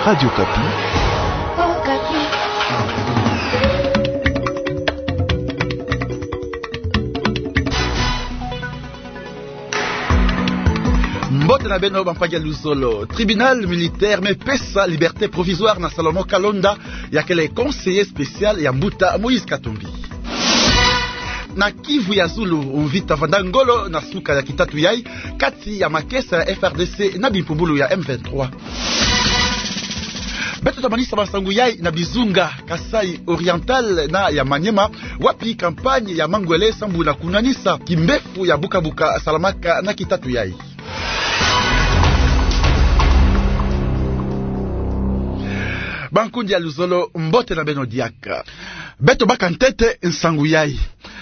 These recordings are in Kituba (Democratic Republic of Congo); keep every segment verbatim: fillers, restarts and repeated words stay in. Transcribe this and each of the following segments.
Radio Okapi. Mbote na beno, bampagi ya luzolo. Tribunal militaire me pesa liberté provisoire na Salomon Kalonda, ya kele conseiller spécial ya mbuta Moïse Katumbi. Na Kivu ya Zulu, mvita vanda ngolo na suka ya kitatu yai, kati ya makesa ya F R D C na bimpumbulu ya M vingt-trois. Beto ta manisa bansangu yai na bizunga Kasaï Oriental na ya Maniema, wapi campagne ya mangwele sambu na kunwanisa kimbefu ya bukabuka salamaka na kitatu yai. Bankundi ya luzolo, mbote na beno diaka. Beto baka ntete nsangu yai.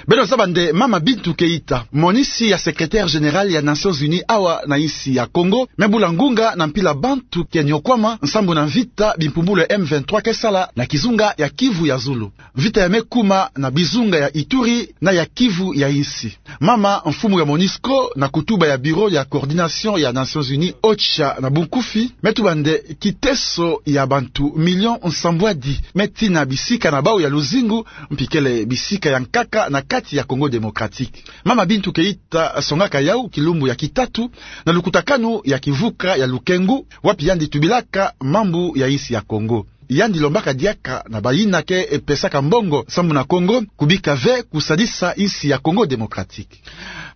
Beno zaba nde Mama Bintou Keïta, monisi ya secrétaire général ya Nations Unies awa na insi ya Congo, me bula ngunga na mpila bantu ke niokwama nsambu na mvita bimpumbulu ya M vingt-trois ke sala na kizunga ya Kivu ya Zulu. Mvita ya me kuma na bizunga ya Ituri na ya Kivu ya insi. Mama, mfumu ya MONUSCO, na kutuba ya Bureau ya coordination ya Nations Unies, OCHA na bunkufi, me tuba nde kiteso ya bantu million nsambwadi me tina bisika na bau ya luzingu, mpi kele bisika ya nkaka na kati ya Congo Démocratique. Mama Bintou Keïta songaka yau kilumbu ya kitatu na lukutakanu ya kivuka ya Lukengu, wapi yandi tubilaka mambu ya insi ya Congo. Yandi lombaka diaka na bayina ke pesaka mbongo sambu na Congo kubika ve kusadisa insi ya Congo Démocratique.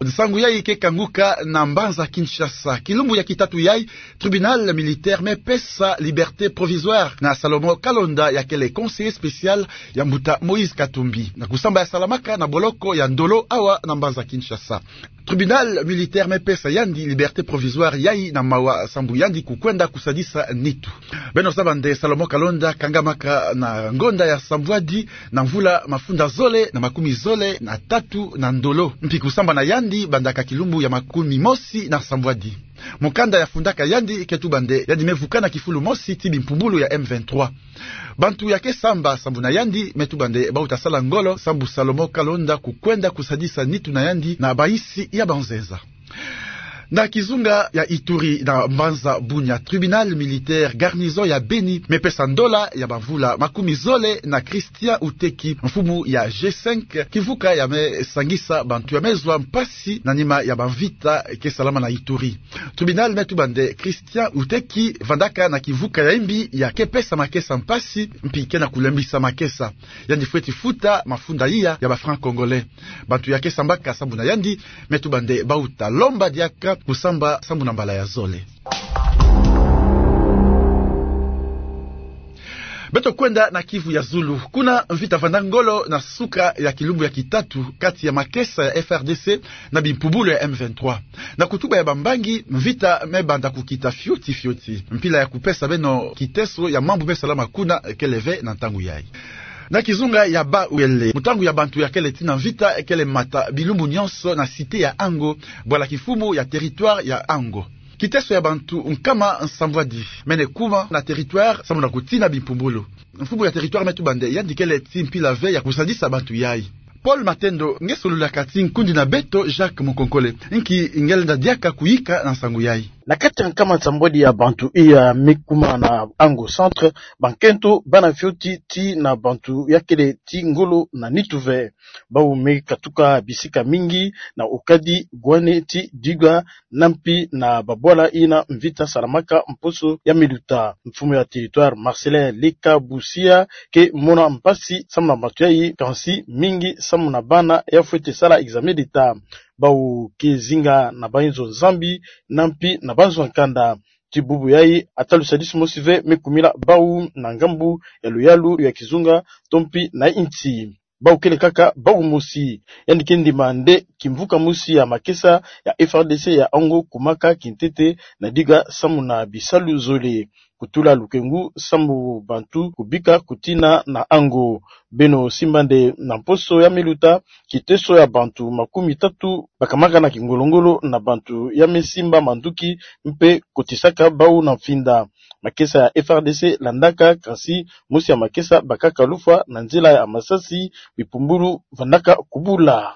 Nsangu yai ke kanguka na mbanza Kinshasa. Kilumbu ya kitatu yai, tribunal militaire me pesa liberté provisoire na Salomon Kalonda, ya kele conseiller spécial ya mbuta Moïse Katumbi, na kusamba ya salamaka na boloko ya Ndolo awa na mbanza Kinshasa. Tribunal militaire me pesa yandi liberté provisoire yai na mawa sambu yandi kukwenda kusadisa nitu. Beno zaba nde Salomon Kalonda kangamaka na ngonda ya sambwadi na mvula mafunda zole na makumi zole na tatu na Ndolo, mpi kusamba na yandi bandaka kilumbu ya makumi mosi na sambwadi. Mukanda ya fundaka yandi ke tuba nde yandi me vukana kifulu mosi ti bimpumbulu ya M vingt-trois. Bantu ya ke samba sambu na yandi me tuba nde bau ta sala ngolo sambu Salomon Kalonda kukwenda kusadisa nitu na yandi na bainsi ya banzenza. Na kizunga ya Ituri, na mbanza Bunia, tribunal militaire garnison ya Beni me pesa ndola ya bamvula makumi zole na Christian Uteki, mfumu ya G cinq, kivuka ya me sangisa bantu ya me zwa mpasi na nima ya bamvita ke salama na Ituri. Tribunal me tuba nde Christian Uteki vandaka na kivuka ya imbi ya ke pesa makesa mpasi, mpi ke na kulembisa makesa. Yandi fweti futa mafunda iya ya ba francs congolais. Bantu ya ke sambaka sambu na yandi me tuba nde bau ta lomba diaka kusamba sambu na mbala ya zole. Beto kwenda na Kivu ya Zulu. Kuna mvita vanda ngolo na suka ya kilumbu ya kitatu kati ya makesa ya F R D C na bimpumbulu ya M vingt-trois. Na kutuba ya bambangi, mvita me banda kukita fioti fioti. Mpila ya kupesa beno kiteso ya mambu me salama kuna kele ve na ntangu yai. Na kizunga ya Bawele, mutangu ya bantu ya kele ti na mvita kele mata bilumbu nyonso na cité ya Ango, bwala kifumu ya territoire ya Ango. Kiteso ya bantu nkama nsambwadi mene kuma na territoire sambu na kutina bimpumbulu. Mfumu ya territoire me tuba nde yandi kele ti mpila ve ya kusadisa bantu yai. Paul Matendo nge solulaka ti nkundi na beto Jacques Mukonkole. Nki nge lenda diaka kuyika na nsangu yai? Na kati ya nkama nsambwadi ya bantu iya me kuma na Ango Centre, bankento bana fioti ti na bantu ya kele ti ngolo na nitu ve. Bau me katuka bisika mingi na Okadi, Gwane ti Diga, na mpi na babwala ina mvita salamaka mposo ya me luta. Mfumu ya territoire Marcelin Leka Busia ke mona mpasi sambu na bantu yai, kansi mingi sambu na bana ya fwete sala examen d'État. Bau ke zinga na banzo nzambi na mpi na banzo nkanda. Ti bubu yai, ata lusadisi mosi ve me kumila bau na ngambu ya luyalu ya kizunga to mpi na insi. Bau kele kaka bau mosi. Yandi ke ndima nde kimvuka mosi ya makesa ya F R D C ya Ango kumaka kintete na Diga sambu na bisalu zole. Kutula lukengu sambu bantu kubika kutina na Ango. Beno simba nde na mposo ya me luta, kiteso ya bantu makumi tatu bakamaka na kingolo-ngolo na bantu ya me simba manduki mpe kotisaka bau na mfinda. Makesa ya F R D C landaka, kansi mosi ya makesa bakaka lufwa na nzila ya masasi, bipumbulu vandaka kubula.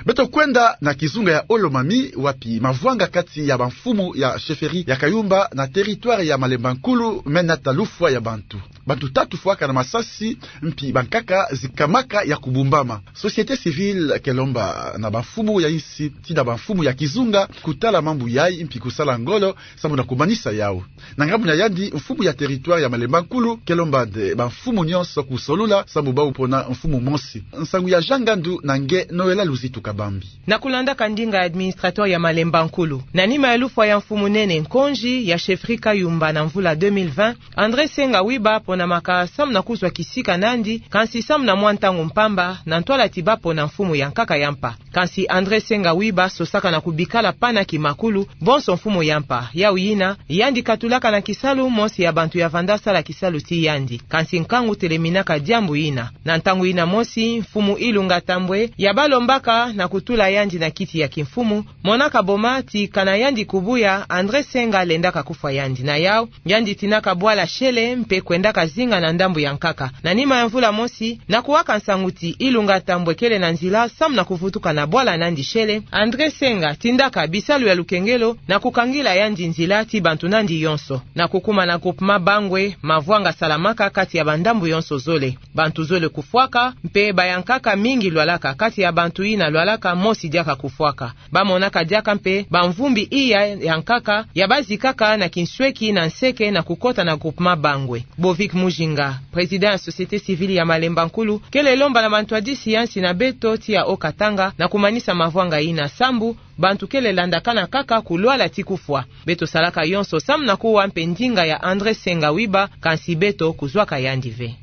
Beto kwenda na kizunga ya Haut-Lomami, wapi mavwanga kati ya bamfumu ya chefferie ya Kayumba na territoire ya Malemba Nkulu me nata lufwa ya bantu. Bantu tatu fwaka na masasi, mpi bankaka zikamaka ya kubumbama. Société civile ke lomba na bamfumu ya insi, ti na bamfumu ya kizunga, kutala mambu yai, mpi kusala ngolo, sambu na kumanisa yau. Na ngambu na yandi, mfumu ya territoire ya Malemba Nkulu ke lomba nde bamfumu nyonso kusolula, sambu bau pona mfumu mosi. Nsangu ya Jean Ngandu na nge Noëlla Luzitu Kabambi. Na kulandaka ndinga ya administrateur ya Malemba Nkulu, na nima ya lufwa ya mfumu nene Nkonji ya chefferie Kayumba na mvula deux mille vingt, André Senga Wiba ponamaka samu na kuzwa kisika na yandi, kansi samu na mwa ntangu mpamba, na ntwala ti bapona mfumu ya nkaka ya mpa. Kansi André Senga Wiba sosaka na kubikala pana kimakulu, bonso mfumu ya mpa. Yau yina, yandi katulaka na kisalu mosi ya bantu ya vanda sala kisalu ti yandi. Kansi nkangu teleminaka diambu yina. Na ntangu yina mosi, mfumu Ilunga Tambwe ya balombaka na kutula yandi na kiti ya kimfumu, monaka boma ti kana yandi kubuya, André Senga lendaka kufwa yandi. Na yau, yandi tinaka bwala shele mpe kwendaka zinga na ndambu ya nkaka. Na nima ya mvula mosi, na kuwaka nsangu ti Ilunga Tambwe kele na nzila samu na kuvutuka na bwala na yandi shele, André Senga tindaka bisalu ya lukengelo na kukangila yandi nzila ti bantu na yandi yonso. Na kukuma na groupement Bangwe, mavwanga salamaka kati ya bandambu yonso zole. Bantu zole kufwaka, mpe bayankaka mingi lwalaka. Kati ya bantu yina lwalaka, mosi diaka kufwaka. Bamonaka diaka mpe bamvumbi iya ya nkaka ya bazikaka na kinsweki na nseke na kukota na groupement Bangwe. Bovic Mujinga, président ya société civile ya Malemba Nkulu, kele lomba na bantwadisi ya nsi na beto ti ya Haut-Katanga na kumanisa mavwanga yina, sambu bantu kele landakana kaka kulwala ti kufwa. Beto salaka yonso samu na kuwa mpe ndinga ya André Senga Wiba, kansi beto kuzwaka yandi ve.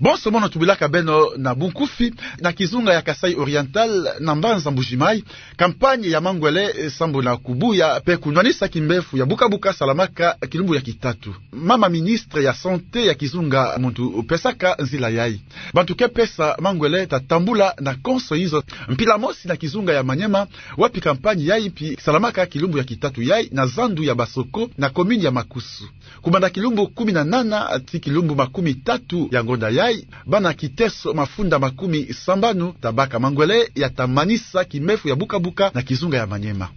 Bonso mono tubilaka beno na bunkufi, na kizunga ya Kasaï Oriental, na mbanza Mbuji-Mayi, campagne ya mangwele, eh, sambu na kubuya mpe kunwanisa kimbevo ya buka-buka salamaka kilumbu ya kitatu. Mama ministre ya santé ya kizunga muntu pesaka nzila yai. Bantu ke pesa mangwele ta tambula na konso inzo. Mpila mosi na kizunga ya Maniema, wapi campagne yai mpi salamaka kilumbu ya kitatu yai na zandu ya Basoko na commune ya Makusu. Kubanda kilumbu kumi na nana ti kilumbu makumi tatu ya ngonda yai, bana kiteso mafunda makumi sambanu ta baka mangwele ya ta manisa kimbevo ya buka-buka na kizunga ya Maniema.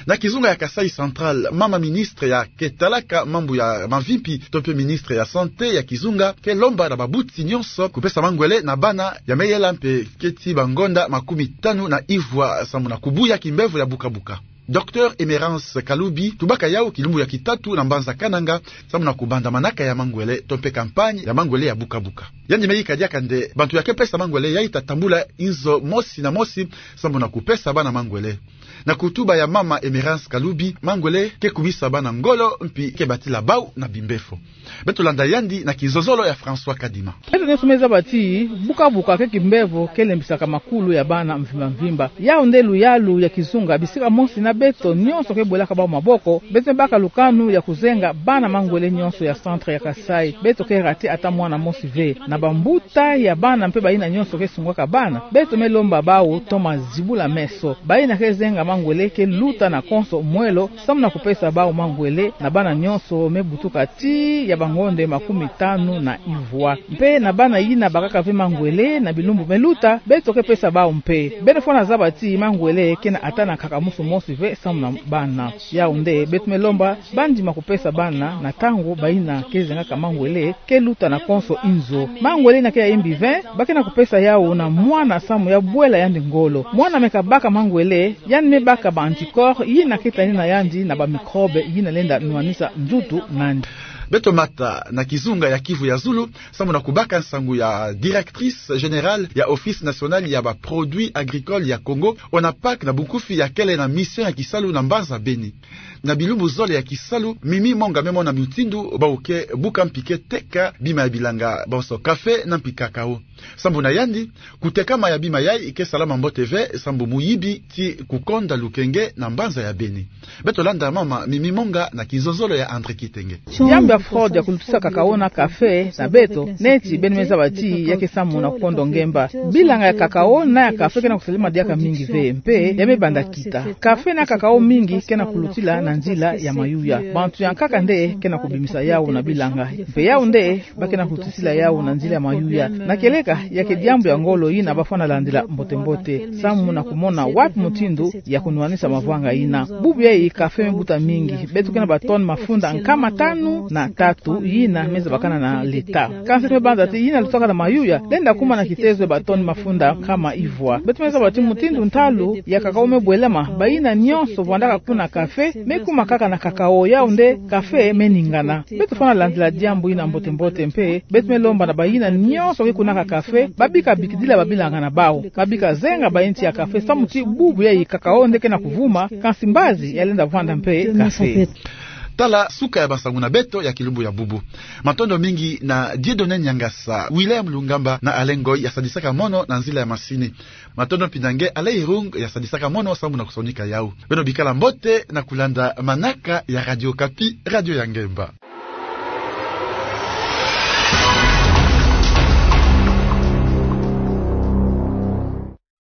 Na kizunga ya Kasaï Central, mama ministre ya ke talaka mambu ya mavimpi to mpe ministre ya santé ya kizunga ke lomba na babuti nyonso kupesa mangwele na bana ya meyela mpe keti bangonda makumi tanu na ivwa sambu na kubuya kimbevo ya buka-buka. Docteur Emerance Kalubi tubaka yau kilumbu ya kitatu na mbanza Kananga sambu na kubanda manaka ya mangwele to mpe campagne ya mangwele ya buka-buka. Yandi me yika diaka nde bantu ya ke pesa mangwele yai ta tambula inzo mosi na mosi sambu na kupesa bana mangwele. Na kutuba ya mama Emerance Kalubi, mangwele ke kumisa bana ngolo mpi ke batila bau na bimbevo. Beto landa yandi na kizozolo ya François Kadima. Beto nyonso me zaba ti buka-buka ke kimbevo ke lembisaka makulu ya bana mvimba-mvimba. Yau nde luyalu ya kizunga bisika mosi na beto nyonso ke bwelaka bau maboko, beto me baka lukanu ya kuzenga bana mangwele nyonso ya centre ya Kasaï. Beto ke rater ata mwana mosi ve. Na bambuta ya bana mpe bayina nyonso ke sungaka bana, beto me lomba bau toma zibula meso. Bayina ke zenga mangwele ke luta na konso mwelo, sambu na kupesa bau mangwele na bana nyonso me butuka tii ya bangonda makumi tanu na ivwa. Mpe na bana yina bakaka ve mangwele na bilumbu me luta, beto ke pesa bau mpe. Beno fwana zaba ti mangwele ke na ata na nkakamusu mosi ve sambu na bana. Yau nde beto me lomba bandima kupesa bana na ntangu bayina ke zengaka mangwele ke luta na konso inzo. Mangwele yina ke ya yimbi ve, ba ke na kupesa yau na mwana sambu ya bwela yandi ngolo. Mwana me kabaka mangwele, yandi me baka ba anticorps yina ke tani na yandi na bamicrobe yina lenda nwanisa nzutu na yandi. Beto mata na kizunga ya Kivu ya Zulu, sambu na kubaka nsangu ya directrice générale ya Office National ya ba Produits Agricoles ya Congo, ONAPAC, na bunkufi ya kele na mission ya kisalu na mbanza Beni. Na bilumbu zole ya kisalu, Mimi Monga me mona mutindu bau ke buka mpi ke teka bima ya bilanga, bonso café na mpi cacao. Sambu na yandi, kutekama ya bima yai ke salama mbote ve, sambu muyibi ti kukonda lukenge na mbanza ya Beni. Beto landa mama Mimi Monga na kizozolo ya André Kitenge. Diambu ya fraude ya kulutisaka cacao na café na beto, neti beno me zaba ti ya ke samu na kukondo ngemba. Bilanga ya cacao na ya café ke na kusalama diaka mingi ve, mpe ya me banda kita. Café na cacao mingi ke na kulutila na nzila ya mayuya. Bantu ya nkaka nde ke na kubimisa yawu na bilanga. Mpe yawu nde ba ke na kutisila yawu na nzila ya mayuya. Na kieleka, ya ke diambu ya ngolo yina bafwana landila mbote-mbote, samu na kumona wapi mutindu ya kunwanisa mavwanga yina. Bubu yayi café me buta mingi. Beto ke na batone mafunda nkama tanu na tatu yina me zabakana na l'État. Kansi me banza ti yina lutaka na mayuya lenda kuma na kitezo ya batone mafunda nkama ivwa. Beto me zaba ti mutindu ntalu ya cacao me bwelama, bayina nionso vwandaka kuna café me kuma kaka na cacao, yawu nde café me ningana. Beto fwana landila diambu yina mbote-mbote mpe beto me lomba na bayina nionso ke kunaka café, babika bikidila babilanga na bawu, babika zenga bayinti ya café, samu ti bubu yayi cacao nde ke na kuvuma, kansi mbazi ya lenda vwanda mpe café. Tala suka ya bansangu na beto ya kilumbu ya bubu. Matondo mingi na Dieudonné Niangasa, William Lungamba na Alain Ngoy ya sadisaka mono na nzila ya masini. Matondo mpi na nge Alain Irung ya sadisaka mono samu na kusonika yawu. Beno bikala mbote na kulanda manaka ya Radio Okapi, radio ya ngemba.